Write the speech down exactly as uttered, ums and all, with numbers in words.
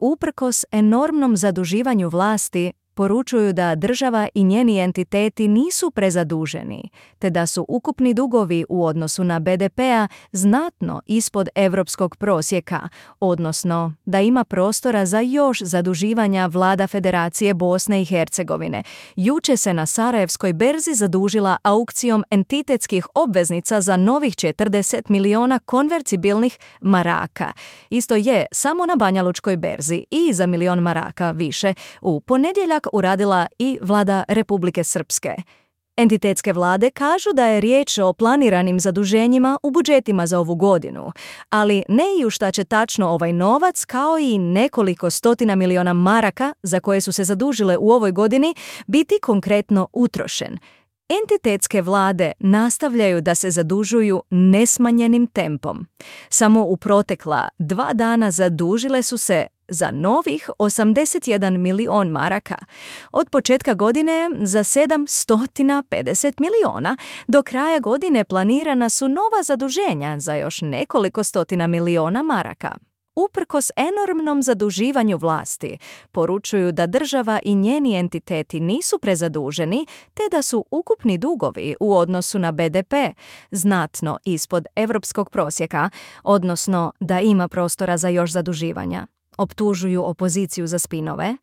Uprkos enormnom zaduživanju vlasti, poručuju da država i njeni entiteti nisu prezaduženi, te da su ukupni dugovi u odnosu na be de pe-a znatno ispod europskog prosjeka, odnosno da ima prostora za još zaduživanja vlada Federacije Bosne i Hercegovine. Juče se na Sarajevskoj berzi zadužila aukcijom entitetskih obveznica za novih četrdeset miliona konvertibilnih maraka. Isto je samo na Banjalučkoj berzi i za milion maraka više. U ponedjeljak uradila i vlada Republike Srpske. Entitetske vlade kažu da je riječ o planiranim zaduženjima u budžetima za ovu godinu, ali ne i u šta će tačno ovaj novac, kao i nekoliko stotina miliona maraka za koje su se zadužile u ovoj godini, biti konkretno utrošen. Entitetske vlade nastavljaju da se zadužuju nesmanjenim tempom. Samo u protekla dva dana zadužile su se za novih osamdeset jedan milion maraka. Od početka godine za sedamsto pedeset miliona, do kraja godine planirana su nova zaduženja za još nekoliko stotina miliona maraka. Uprkos enormnom zaduživanju vlasti, poručuju da država i njeni entiteti nisu prezaduženi, te da su ukupni dugovi u odnosu na be de pe znatno ispod europskog prosjeka, odnosno da ima prostora za još zaduživanja. Optužuju opoziciju za spinove,